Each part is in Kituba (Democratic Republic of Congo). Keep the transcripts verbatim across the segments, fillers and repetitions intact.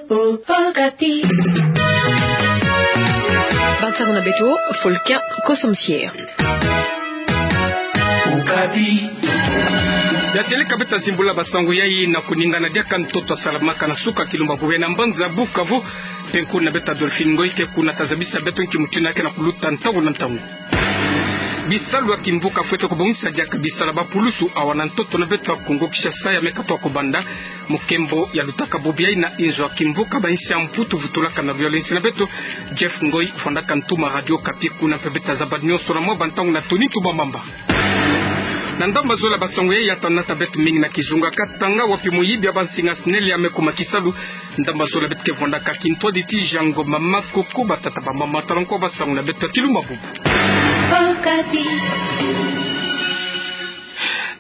Okapi. Bansango na beto, Folkin Kosomsier. Okapi. Ya seleka beto ta zimbula bansango yai na kuningana diaka ntoto salamaka na suka Kilumba Bubu na mbanza Bukavu. Mpe nkuna beto Adolphine Ngoy ke kuna ta zabisa beto nki mutindu ya ke na kuluta ntangu na ntangu. Bisalu ya kimvuka fwete kubongisa diaka bisalu ya bapulusu awa na ntoto na beto ya Kongo Kinshasa ya me katoa kubanda. Mokembo ya lutaka bobo yai na inzo ya kimvuka ba insi ya Mputu vutulaka na luyolo ya insi na beto, Jeff Ngoy, vwandaka ntuma Radio Okapi kuna. Mpe beto ta zaba nyonso na mwa bantangu na Tony Ntumba Mamba. Na ndambu zole ya bansango yai, ya tana ta beto mingi na kizunga Katanga, wapi moyibi ya bansinga SNEL ya me kuma kisalu. Ndambu zole beto ke vwandaka kintwadi ti jango mama koko, batata, bamama, tala nko bansango na beto ya Kilumba Bubu. Okapi.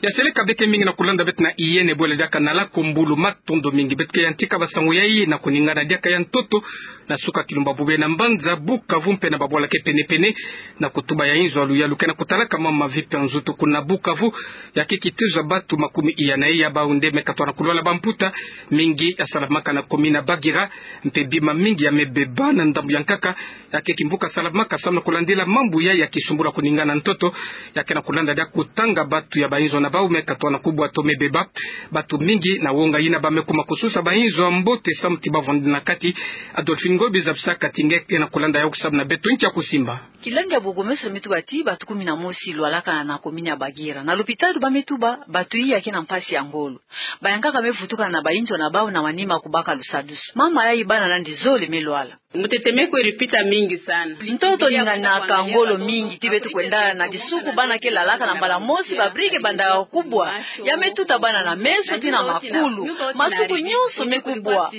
Ya seleka beke mingi na kulanda beto na yene bwele diaka na la kumbulu, matondo mingi. Beto ke yantika bansango yai na kuningana diaka ya ntoto na suka Kilumba Bubu na mbanza Bukavu mpe na babwala ke pene-pene, na kutuba ya inzo ya luyalu ke na kutalaka mama Vipi ya nzutu kuna Bukavu. Ya ke kituza batu makumi iya na iya bau nde me katoa na kulwala bamputa. Mingi ya salamaka na commune ya Bagira, mpe bima mingi ya me beba na ndambu ya nkaka. Ya ke kimvuka salamaka samu na kulandila mambu yai ya kisumbulu ya kuningana ntoto. Ya ke na kulanda dia kutanga batu ya bainzo na bau me katoa na kubwa to me beba. Batu mingi na wonga yina ba me kuma kususa bainzo ya mbote samu ti bavwanda na kati. Adolphine Ngoy, biza bisaka ti nge ke na kulanda yau samu na beto nki ya kusimba. Kilandi ya bourgmestre me tuba ti batu kumi na mosi lwalaka na commune ya Bagira. Na lopitalu ba me tuba batu iya ke na mpasi ya ngolo. Bayankaka me vutuka na bainzo na bau na manima kubaka lusadusu. Mama yai bana nandi zole me lwala. Mutete me kwe ripita mingi sana. Ntoto ninganaka ngolo mingi ti beto kwenda na kisuku, bana ke lalaka na mbala mosi, ba brique ke bandaka kubwa. Ya me tuta bana na meso tii na makulu. Masuku nyonso me kubwa.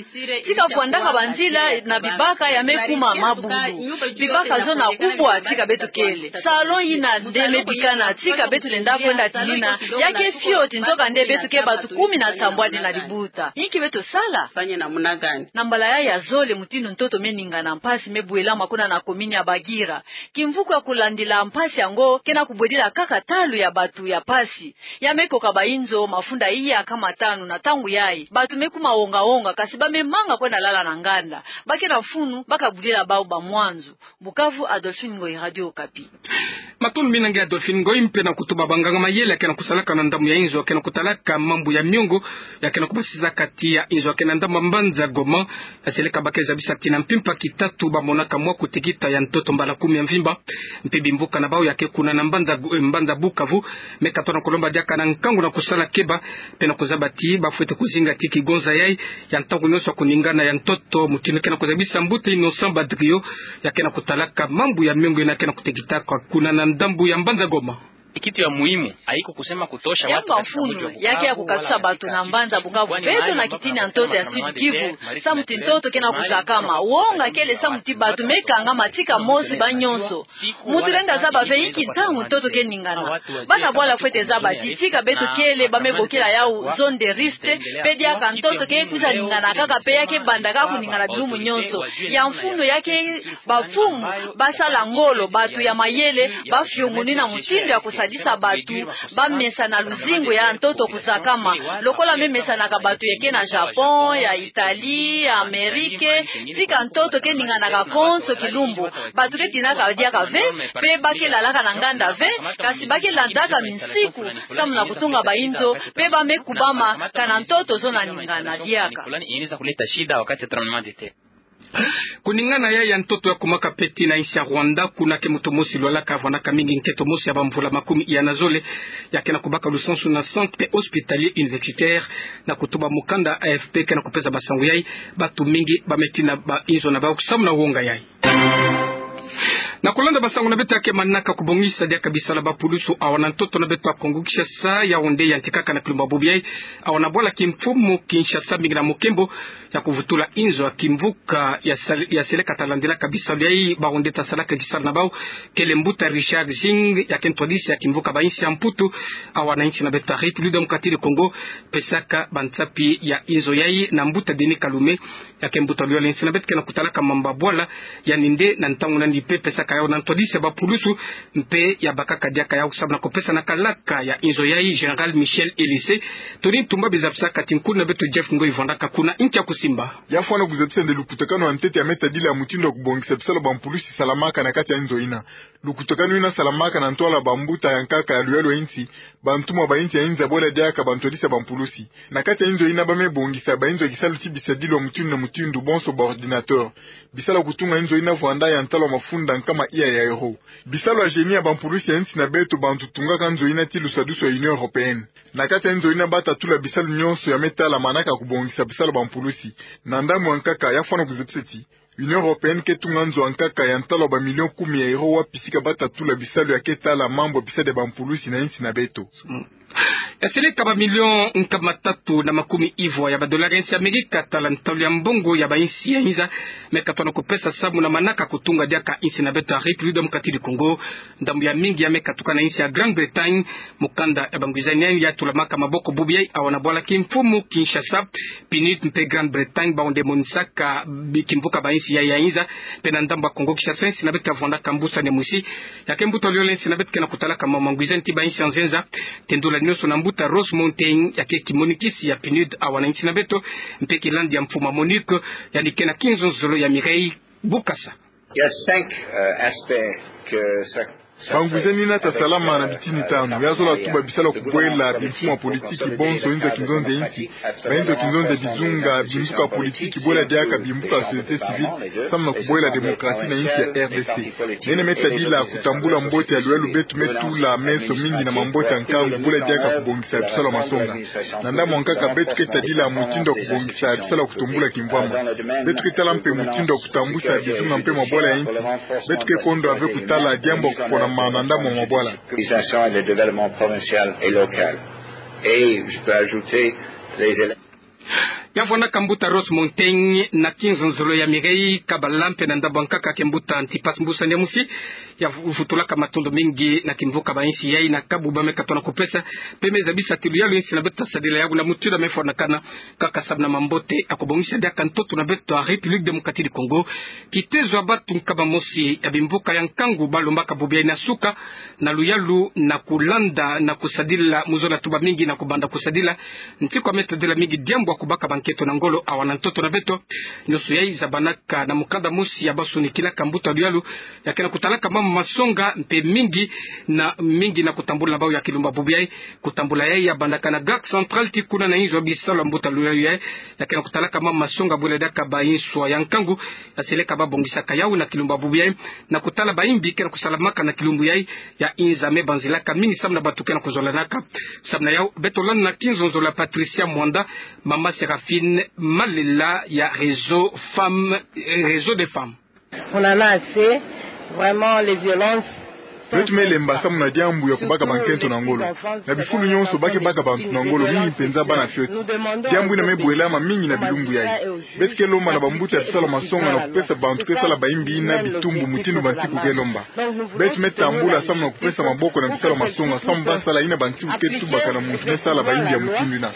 Tika vwandaka banzila na bibaka ya me kuma mabulu. Bibaka zo na kubwa tika beto kele. Salon yina nde me bikana tika beto lenda kwenda tinina. Ya ke fioti nzoka nde beto ke batu kumi na sambwadi na libuta. Inki beto sala? Fanya namna gani? Na mbala yai ya zole mutindu ntoto me ningana mpasi me bwelama kuna na commune ya Bagira. Kimvuka kulandila mpasi yango ke na kubwedila kaka talu ya batu ya mpasi. Ya me koka bainzo mafunda iya kama tanu na ntangu yai. Batu me kuma wonga-wonga, kasi ba me manga kwenda lala na nganda. Ba ke na mfunu ba kabudila bau bamwanzu. Bukavu, Adolphine Ngoy, Radio Okapi. Matondo mingi na nge Adolphine Ngoy, mpe na kutuba banganga-mayele ya ke na kusalaka na ndambu ya inzo ya ke na kutalaka mambu ya miongo, ya ke na kubasisa kati ya inzo ya ke na ndambu ya mbanza Goma. Ya seleka ba ke zabisa ti na mpimpa kitatu ba monaka mwa kutekita ya ntoto mbala kumi ya mvimba. Mpe bimvuka na bau ya ke kuna na mbanza Go-, eh, mbanza Bukavu, me katoa na kulomba diaka na nkangu na kusala keba, mpe na kuzaba ti ba fwete kuzinga ti kigonza yai ya ntangu nyonso ya kuningana ya ntoto, mutindu ke na kuzabisa mbuta Innocent Badrio, ya ke na kutalaka mambu ya miongo yina ke na kutekitaka kuna na ndambu ya mbanza Goma. Kitu ya muhimu, haiko kusema kutosha watu katika mji wa Bukavu, ya ke ya kukatusa batu na mbanza Bukavu beto na kitini ya ntoto ya Sud Kivu, samu ti ntoto ke na kuzakama, wonga kele samu ti batu me kangama tika mosi ba nyonso. Mutu lenda zaba ve inki ntangu ntoto ke ningana. Bana bwala fwete zaba ti tika beto kele ba me bokila yau zone de risque, mpe diaka ntoto ke kwiza ningana kaka mpe ya ke banda kaka kuningana bilumbu nyonso. Ya mfunu ya ke bamfumu ba sala ngolo, batu ya mayele, ba fiongonina mutindu ya kusadisa batu ba mesa na luzingu ya ntoto kuzakama. Lokola me mesanaka batu ya ke na Japon, ya Italie, ya Amérique, tika ntoto ke ninganaka konso kilumbu. Batu ke tinaka diaka ve, mpe ba ke lalaka na nganda ve, kasi ba ke landaka minsiku samu na kutunga bainzo, mpe ba me kubama kana ntoto zo na ningana diaka. Inaweza kuleta shida wakati ya tremblement de terre. Kuningana yai ya ntoto ya kumaka peti na insi ya Rwanda, kuna ke moto mosi lwalaka vwandaka mingi nkento mosi ya bamvula makumi iya na zole, ya ke na kubaka lusansu na centre hospitalier universitaire. Na kutuba mukanda A F P ke na kupesa bansango yai, batu mingi ba me tina bainzo na bau samu na wonga yai. Na kulanda bansango na beto ya ke manaka kubongisa diaka bisalu ya bapulusu awa na ntoto na beto ya Kongo Kinshasa, yau nde yantikaka na Kilumba Bubu yai, awa na bwala kimfumu Kinshasa, mingi na mukembo ya kuvutula inzo ya kimvuka ya sal-, ya seleka ta landilaka bisalu yai, bau nde ta salaka kisalu na bau, kele mbuta Richard Zing, ya ke ntwadisi ya kimvuka ba insi ya Mputu awa na insi na beto ya République démocratique du Congo, pesaka bansapi ya inzo yai na mbuta Denis Kalume, ya ke mbuta luyolo ya insi na beto ke na kutalaka mambu ya bwala, yandi nde na ntangu nandi mpe pesaka yau na ntwadisi ya bapulusu, mpe ya bakaka diaka yau samu na kupesa na kalaka ya inzo yai Général Michel Elisée. Toni Ntumba bizabisaka ti nkuna beto Jeff Ngoi vwandaka kuna ntia kusimba. Ya fwana kuzabisa nde lukutakanu ya ntete ya meta dila mutindu wa kubongisa bisalu ya bampulusi salamaka na kati ya inzo ina. Lukutakanu ina salamaka na ntwala bambuta ya nkaka ya luyalu ya insi, bantumwa ba insi ya inza bwela diaka bantwadisi ya bampulusi. Na kati ya inzo ina ba me bongisa ba inzo ya kisalu ti bisadilwa mutindu na mutindu, bonso ba ordinateur. Bisalu ya kutunga inzo ina vwanda ya ntalo ya mafunda nkama iya ya euro. Bisalu ya génie ya bampulusi ya insi na beto bantu tungaka nzo ina ti lusadusu ya Union Européenne. Na kati ya inzo ina bata tula bisalu nyonso ya me tala manaka kubongisa bisalu ya bampulusi. Na ndambu ya nkaka ya fwana kuzabisa ti Union Européenne ke tunga nzo ya nkaka ya ntalo ya bamilio kumi ya euro wapi sika bata tula bisalu ya ke tala mambu ya bisadi ya bampulusi na insi na beto. Mm. Ya seleka bamilio nkama tatu na makumi ivwa ya badolari ya insi ya Amerika tala ntalu ya mbongo ya bainsi ya inza me katona kupesa samu na manaka kutunga diaka insi na beto ya République Démocratique du Congo. Ndambu ya mingi ya me katuka na insi ya Grande-Bretagne. Mukanda ya bangwizani yai ya tulamaka maboko bubu yai awa na bwala kimfumu Kinshasa, PNUD mpe Grande-Bretagne bawu nde monisaka bi-, kimvuka bainsi yai ya inza. Mpe na ndambu ya Kongo Kinshasa, insi na beto ya vwandaka mbusa ne mwisi. Ya ke mbuta luyalu ya insi na beto ke na kutalaka ma-, mangwizani ti bainsi ya nzenza. Tendula nyonso na mbuta Ross Mountain, ya ke kimonikisi ya PNUD awa na insi na beto, mpe kilandi ya mfuma Monique, yandi ke na kinzonzolo ya Mireille Bukasa. Il y a cinq, euh, aspects que ça, ça... Bangwizani ina ta salama na bitini tanu. Ya zola tuba bisalu ya kubwela bimfumu ya politiki bonso inzo ya kinzonzi ya insi, bainzo ya kinzonzi ya bizunga, bimvuka ya politiki, bwela diaka bimvuka ya société civile, samu na kubwela démocratie na insi ya R D C. Nene me tadila kutambula mbote ya luyalu beto me tula meso mingi na mambote ya nkangu, bwela diaka kubongisa bisalu ya masonga. Na ndambu ya nkaka beto ke tadila mutindu ya kubongisa bisalu ya kutumbula kimvwama. Beto ke tala mpe mutindu ya kutambwisa bizunga mpe mabwala ya insi. Beto ke kondwa ve kutala diambu ya kukonama na ndambu ya mabwala. L'organisation et le développement provincial et local. Et je peux ajouter les élèves. Ya vwandaka mbuta Ross Mountain na kinzonzolo ya Mireille Kabala mpe na ndambu ya nkaka ke mbuta Antipas Mbusa Nyamusi. Ya vu-, vutulaka matondo mingi na kimvuka bainsi yai na kabu ba me katona kupesa, mpe me zabisa ti luyalu ya insi na beto ta sadila yawu na mutindu ya me fwanakana, kaka samu na mambote ya kubongisa diaka ntoto na beto ya République Démocratique du Congo. Kitezo ya batu nkama mosi ya bimvuka ya nkangu ba lombaka bubu yai na suka na luyalu na kulanda na kusadila, mu zola tuba mingi na kubanda kusadila, nti kwa me tadila mingi diambu ya kubaka bankento na ngolo awa na ntoto na beto. Nyonso yai zabanaka na mukanda mosi ya ba sonikilaka mbuta luyalu, ya ke na kutalaka mama masonga mpe mingi na, mingi na kutambula na bawu ya kilumbu ya bubu yai. Kutambula yai ya bandaka na Gare Centrale ti kuna na inzo ya bisalu ya mbuta luyalu yai, ya ke na kutalaka mama masonga bwela diaka bainswa ya nkangu, ya seleka ba bongisaka yawu na kilumbu ya bubu yai, na kutala baimbi ke na kusalamaka na kilumbu yai, ya inza me banzilaka mingi samu na batu ke na kuzolanaka. Samu na yawu, beto landa na kinzonzolo ya Patricia Mwanda, mama Séraphine Malela ya Réseau Femmes, eh, Réseau des Femmes. On en a assez, vraiment, les violences. Beto me lemba samu na diambu ya kubaka bankento na ngolo. Na bifulu nyonso ba ke baka bantu na ngolo, mingi mpenza bana fioti. Diambu ina me bwelama mingi na bilumbu yai. Beto ke lomba na bambuta ya bisalu ya masonga na kupesa bantu ke sala baimbi ina bitumbu mutindu bantiku ke lomba. Beto me tambula samu na kupesa maboko na bisalu ya masonga, samu ba sala ina bantiku ke tubaka na muntu me sala baimbi ya mutindu ina.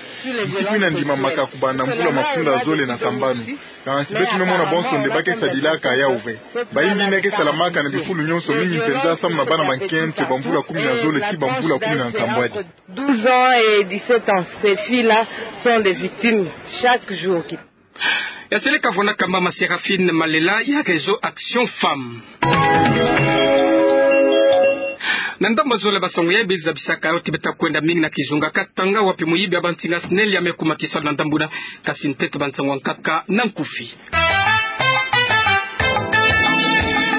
Ntiku ina ndimamaka kubanda mvula mafunda zole na sambanu. Kansi beto me mona bonso nde ba ke sadilaka yawu ve. Baimbi ina ke salamaka na bifulu nyonso, mingi mpenza samu na bana bankento ba mvula kumi na zole tii ba mvula kumi na nsambwadi. Douze ans et dix-sept ans, ces filles-là sont des victimes chaque jour. Ya seleka vwandaka mama Séraphine Malela ya Réseau Action Femmes. Na ndambu ya zole ya basangu yai, beri zabisaka yo ti beta kwenda mingi na kizunga Katanga, wapi muyibi ya bansinga SNEL ya me kuma kisalu na ndambu ina. Kasi nteto bansangu ya nkaka na nkufi.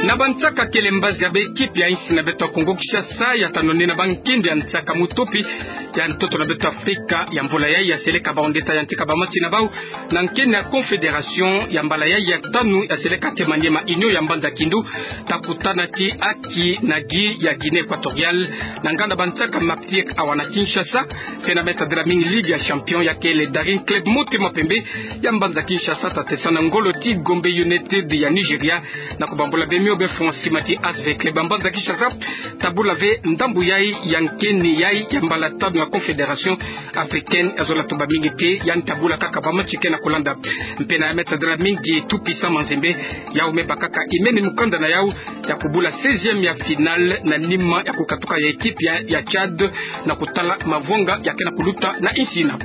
Na bansaka kele mbazi ya ba équipe ya insi na beto ya Kongo Kinshasa, ya tano nina bankindi ya nsaka mutopi ya ntoto na beto Afrika ya mvula yai, ya seleka bawu nde ta yantika ba match na bawu na nkeni ya Confédération ya mbala yai ya tanu, ya seleka ke Maniema Union ya mbanza Kindu ta kutana ti Aki na Guy ya Guinée Équatoriale, na nganda bansaka Martyrs awa na Kinshasa. Mpe na me tadila mingi Ligue ya Champion, ya kele Daring Club Motema Pembe ya mbanza Kinshasa ta tesa na ngolo ti Gombe United ya Nigeria, na kubambula bemi Obe France mati as ve kle ba mbanza Kinshasa, tabula ve ndambu yai ya nkeni yai ya mbala tanu ya Confédération africaine, ya zola toba mingi te, yandi tabula kaka ba match ke na kulanda. Mpe na ya me tadila mingi Tout-Puissant Mazembe, yau me bakaka imeni mukanda na yau ya kubula seizième ya finale na nima ya kukatuka ya équipe ya, ya Tchad na kutala mavwanga ya ke na kuluta na insi ina.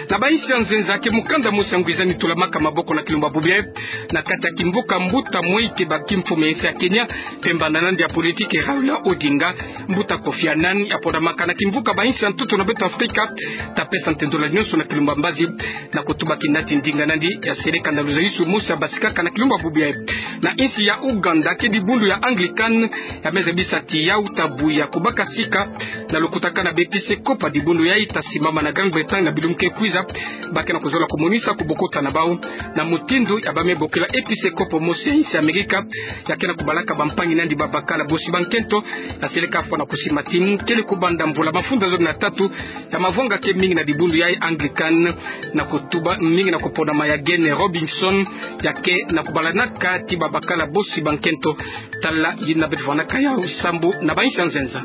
Na ba insi ya nzenza ke mukanda mosi ya ngwizani tulamaka maboko na kilumbu ya bubu yayi, na kati ya kimvuka mbuta mosi ke baki mfumu ya insi ya Kenya, mpe mbanda na yandi ya politique Raila Odinga, mbuta Kofi Annan, ya pondamaka na kimvuka ba insi ya ntoto na beto Afrika, ta pesa ntendolo nyonso na kilumbu ya mbazi, na kutuba kinati ndinga na yandi ya seleka na luzayusu mosi ya basikaka na kilumbu ya bubu yayi. Na insi ya Ouganda, ke dibundu ya Anglican, ya me zabisa ti yau ta buya kubaka sika, na lukutakana ba episkopo ya dibundu yayi ta simama na Grande-Bretagne na bilumbu ke kwiza, ba ke na kuzola kumonisa kubokota na bau, na mutindu ya ba me bokila episkopo mosi ya insi ya Amerika, ya ke na kubalaka bampangi na yandi babakala bosi ba nkento, ya seleka fwa na kusimba ti kele kubanda mvula mafunda zole na tatu, ya mavwanga ke mingi na dibundu yayi Anglican, na kutuba mingi na kupondama ya Gene Robinson, ya ke na kubalanaka ti babakala bosi ba nkento. Tala yina beto vwanaka yau sambu na ba insi ya nzenza.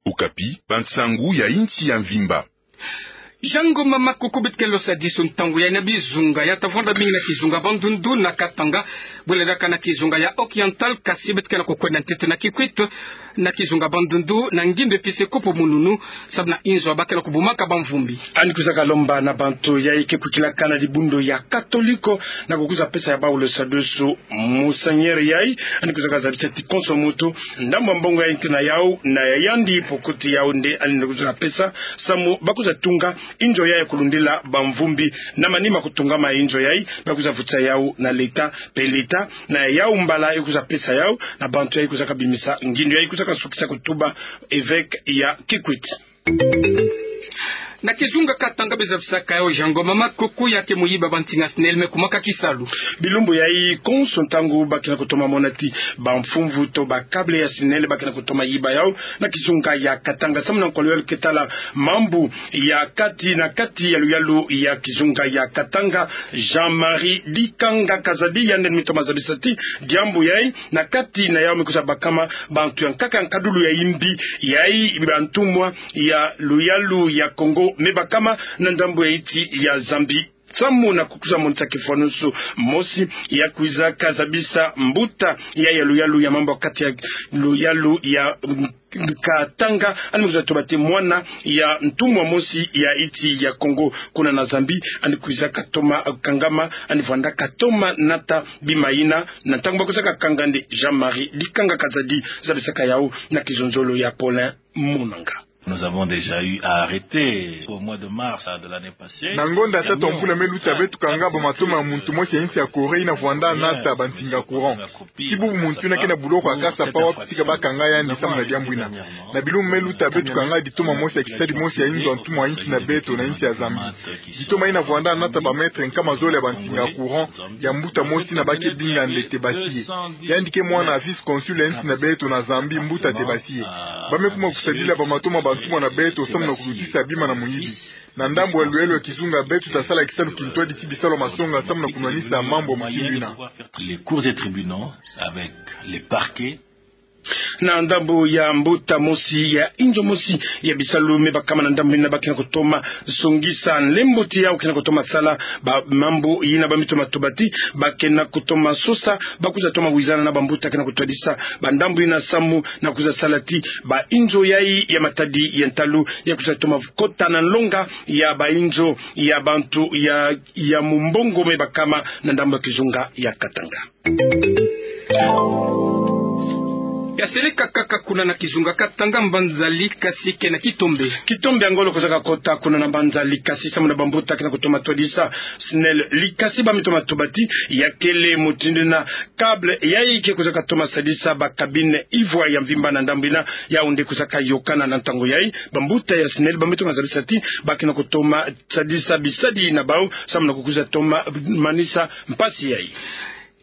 Okapi, bansangu ya insi ya mvimba. Jean Ngoma Makuku, beto ke losa diso ntangu yayi na bizunga ya ta vwanda mingi na kizunga Bandundu na Katanga, bwela diaka na kizunga ya Oriental, kasi beto ke na kukwenda ntete na Kikwit, na kizunga Bandundu, na ngindu episkopo Mununu, samu na inzo ba ke na kubumaka bamvumbi. Yandi kwizaka lomba na bantu yayi ke kwikilaka na dibundu ya Katoliko, na kukwiza pesa ya bau losa diso Monseigneur yayi, yandi kwizaka zabisa ti konso muntu, ndambu ya mbongo yayi ke na yau, na ya yandi pokoti yau nde yandi kwizaka pesa, samu ba kwiza tunga inzo yayi ya kulundila bamvumbi, na manima kutungama inzo yayi, ba kwiza vutisa yau na leta, mpe leta, na yau mbala, e kwiza pesa yau na bantu yayi kwizaka bimisa ngindu yayi, kwizaka sukisa kutuba évêque ya Kikwit. Na kizunga Katanga, be zabisaka yau Jean Ngoma Makuku, ya ke muyiba bantinga SNEL me kumaka kisalu. Bilumbu yayi konso, ntangu ba ke na kutoma mona ti bamfumvu to ba câble ya SNEL ba ke na kutoma yiba yau na kizunga ya Katanga. Samu na nkwa luyalu ke tala mambu ya kati na kati ya luyalu ya kizunga ya Katanga, Jean-Marie Dikanga Kazadi, yandi me toma zabisa ti diambu yayi, na kati na yau me kwiza bakama bantu ya nkaka ya nkadulu ya yimbi, yayi bantumwa ya luyalu ya Kongo me bakama na ndambu ya insi ya Zambie. Samu na kukwiza monisa kifwanusu mosi, ya kwizaka zabisa mbuta ya, ya luyalu ya mambu ya kati ya luyalu ya Katanga, yandi me kwiza tuba ti mwana ya ntumwa mosi ya insi ya Kongo kuna na Zambie, yandi kwizaka toma kangama, yandi vwanda katoma nata bima yina, na ntangu ba kwizaka kanga nde. Jean-Marie Dikanga Kazadi zabisaka yau na kizonzolo ya Paulin Munanga. Nous avons déjà eu à arrêter au mois de mars de l'année passée. Na ngonda tatu ya mpula me luta, beto kanga bamatoma ya muntu mosi ya insi ya Corée yina vwanda nata bantinga courant. Ti bubu muntu yina ke na buloko ya kasa pawa kusika ba kanga yandi samu na diambu yina. Na bilumbu me luta, beto kanga ditoma mosi ya kisadi mosi ya inzo ya ntumwa ya insi na beto na insi ya Zambie. Ditoma yina vwanda nata ba mètre nkama zole ya bantinga courant ya mbuta mosi yina ba ke binga nde Tebasiye. Yandi ke mwana ya vice-consul ya insi na beto na Zambie, mbuta Tebasiye. Ba me kuma kusadila bamatoma bantumwa na beto samu na kulutisa bima na muyibi. Na ndambu ya luyalu ya kizunga, beto ta sala kisalu kintwadi ti bisalu ya masonga samu na kunwanisa mambu ya mutindu yina. Les cours et tribunaux avec les parquets. Na ndambu ya mbuta mosi ya inzo mosi ya bisalu me bakama na ndambu yina, ba ke na kutoma songisa nlembo ti yau ke na kutoma sala ba mambu yina, ba me toma tuba ti ba ke na kutoma sosa, ba kwiza toma wizana na bambuta ke na kutwadisa ba ndambu yina samu na kwiza sala ti ba inzo yayi ya matadi ya ntalu ya kwiza toma kota na nlonga ya ba inzo ya bantu ya, ya mumbongo me bakama na ndambu ya kizunga ya Katanga. Ya seleka kaka kuna na kizunga Katanga, mbanza Likasi ke na kitombe. Kitombe ya ngolo kwizaka kota kuna na mbanza Likasi samu na bambuta ke na kutoma twadisa SNEL Likasi, ba me toma tuba ti ya kele mutindu yina câble yayi ke kwizaka toma sadisa ba cabine ivwa ya mvimba na ndambu yina, yau nde kwizaka yokana na ntangu yayi. Bambuta ya SNEL ba me toma zabisa ti ba ke na kutoma sadisa bisadi na bau samu na kukwiza toma manisa mpasi yayi.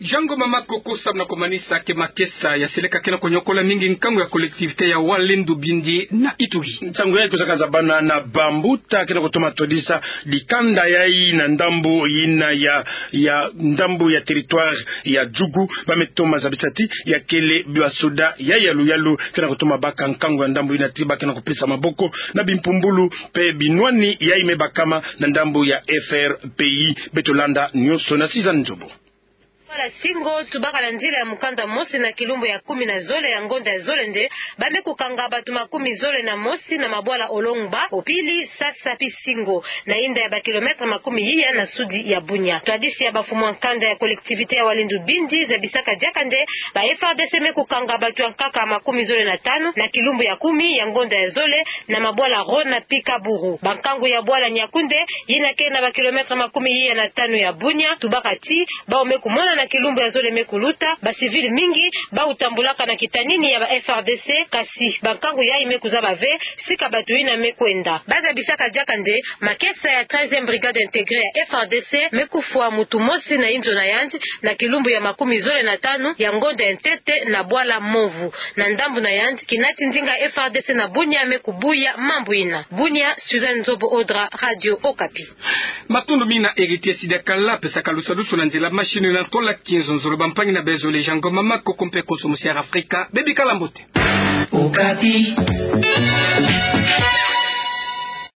Jango Mama Koko, samu na komanisa ke makesa ya seleka ke na konyokola mingi nkangu ya collectivité ya Walendu Bindi na Ituri. Nsangu yayi kusaka zabana na bambuta ke na kutoma todisa dikanda yayi na ndambu yina ya, ya ndambu ya territoire ya Djugu, ba me toma zabisa ti ya kele basoda ya yalu-yalu ke na kutoma baka nkangu ya ndambu yina ti ba ke na kupesa maboko na bimpumbulu mpe binwani yayi me bakama na ndambu ya F R P I. Beto landa nyonso na Suzanne Nzobo. Bwala Singo, tubaka na nzila ya mukanda mosi na kilumbu ya kumi na zole ya ngonda ya zole nde ba me kukanga bato makumi zole na mosi na mabwala Olongba, Opili, Sasa mpe Singo, na inda ya ba kilomètre makumi iya na sudi ya Bunia. Twadisi ya bamfumu ya nkanda ya collectivité ya Walendu Bindi zabisaka diaka nde ba F R D C me kukanga bato ya nkaka makumi zole na tanu na kilumbu ya kumi ya ngonda ya zole na mabwala Rona mpe Kaburu. Bankangu ya bwala Niakoundé, yina ke na ba kilomètre makumi iya na tanu ya Bunia, tubaka ti bawu me kumona na kilumbu ya zole me kuluta ba civil mingi bawu tambulaka na kitanini ya ba F R D C, kasi bankangu yayi me kuzaba ve sika bato yina me kwenda. Ba zabisaka diaka nde makesa ya treizième brigade intégrée ya F R D C me kufwa mutu mosi na inzo na yandi na kilumbu ya makumi zole na tanu ya ngonda ya ntete na bwala Movu, na ndambu na yandi kina ti ndinga F R D C na Bunia me kubuya mambu yina. Bunia, Suzanne Nzobo Odra, Radio Okapi. Matondo mingi na Héritier Sidakala, pesaka lusadusu na nzila machine na ntola kinzonzolo. Bampangi na bezo, Jango Mama Koko mpe konso musi ya Afrika, bebikala mbote. Okapi.